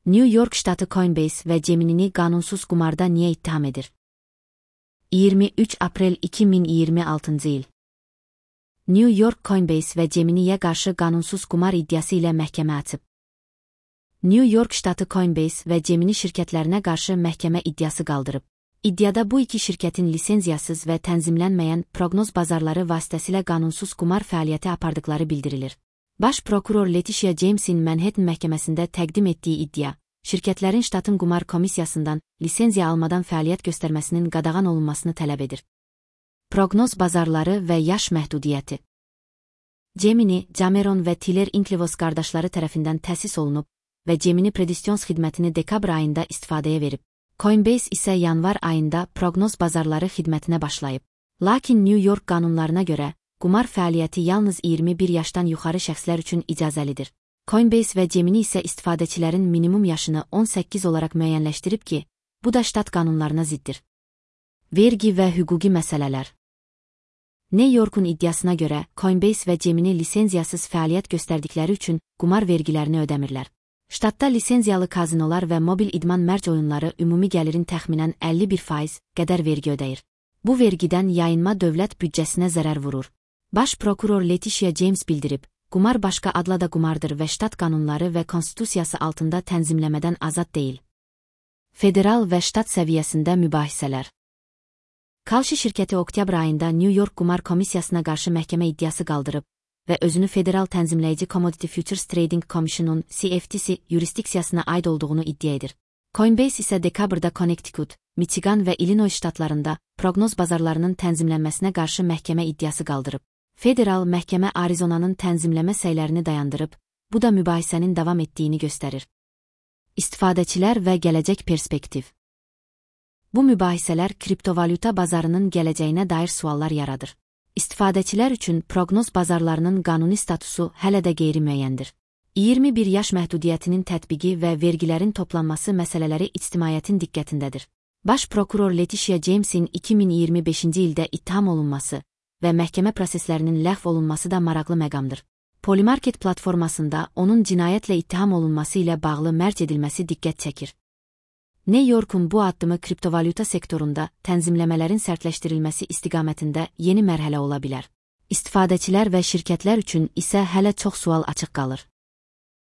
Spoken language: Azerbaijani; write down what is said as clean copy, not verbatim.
New York ştatı Coinbase və Gemini'ni qanunsuz qumarda niyə ittiham edir? 23 aprel 2026 il. New York Coinbase və Gemini'yə qarşı qanunsuz qumar iddiası ilə məhkəmə açıb. New York ştatı Coinbase və Gemini şirkətlərinə qarşı məhkəmə iddiası qaldırıb. İddiada bu iki şirkətin lisenziyasız və tənzimlənməyən proqnoz bazarları vasitəsilə qanunsuz qumar fəaliyyəti apardıqları bildirilir. Baş prokuror Letitia James'in Manhattan məhkəməsində təqdim etdiyi iddia, şirkətlərin ştatın qumar komissiyasından lisenziya almadan fəaliyyət göstərməsinin qadağan olunmasını tələb edir. Proqnoz bazarları və yaş məhdudiyyəti. Gemini, Cameron və Tiller Inklivos qardaşları tərəfindən təsis olunub və Gemini Predisions xidmətini dekabr ayında istifadəyə verib. Coinbase isə yanvar ayında proqnoz bazarları xidmətinə başlayıb. Lakin New York qanunlarına görə, qumar fəaliyyəti yalnız 21 yaşdan yuxarı şəxslər üçün icazəlidir. Coinbase və Gemini isə istifadəçilərin minimum yaşını 18 olaraq müəyyənləşdirib ki, bu da ştat qanunlarına ziddir. Vergi və hüquqi məsələlər. New York'un iddiasına görə, Coinbase və Gemini lisenziyasız fəaliyyət göstərdikləri üçün qumar vergilərini ödəmirlər. Ştatda lisenziyalı kazinolar və mobil idman mərc oyunları ümumi gəlirin təxminən 51% qədər vergi ödəyir. Bu vergidən yayınma dövlət büdcəsinə zərər vurur. Baş prokuror Letitia James bildirib, qumar başqa adla da qumardır və ştat qanunları və konstitusiyası altında tənzimləmədən azad deyil. Federal və ştat səviyyəsində mübahisələr. Kalshi şirkəti oktyabr ayında New York Qumar Komissiyasına qarşı məhkəmə iddiası qaldırıb və özünü Federal Tənzimləyici Commodity Futures Trading Commission'un CFTC yurisdiksiyasına aid olduğunu iddia edir. Coinbase isə dekabrda Connecticut, Michigan və Illinois ştatlarında proqnoz bazarlarının tənzimlənməsinə qarşı məhkəmə iddiası qaldırıb. Federal məhkəmə Arizonanın tənzimləmə səylərini dayandırıb, bu da mübahisənin davam etdiyini göstərir. İstifadəçilər və gələcək perspektiv. Bu mübahisələr kriptovalyuta bazarının gələcəyinə dair suallar yaradır. İstifadəçilər üçün proqnoz bazarlarının qanuni statusu hələ də qeyri-müəyyəndir. 21 yaş məhdudiyyətinin tətbiqi və vergilərin toplanması məsələləri ictimaiyyətin diqqətindədir. Baş prokuror Letitia James'in 2025-ci ildə ittiham olunması və məhkəmə proseslərinin ləğv olunması da maraqlı məqamdır. Polymarket platformasında onun cinayətlə ittiham olunması ilə bağlı mərc edilməsi diqqət çəkir. New York'un bu addımı kriptovalyuta sektorunda tənzimləmələrin sərtləşdirilməsi istiqamətində yeni mərhələ ola bilər. İstifadəçilər və şirkətlər üçün isə hələ çox sual açıq qalır.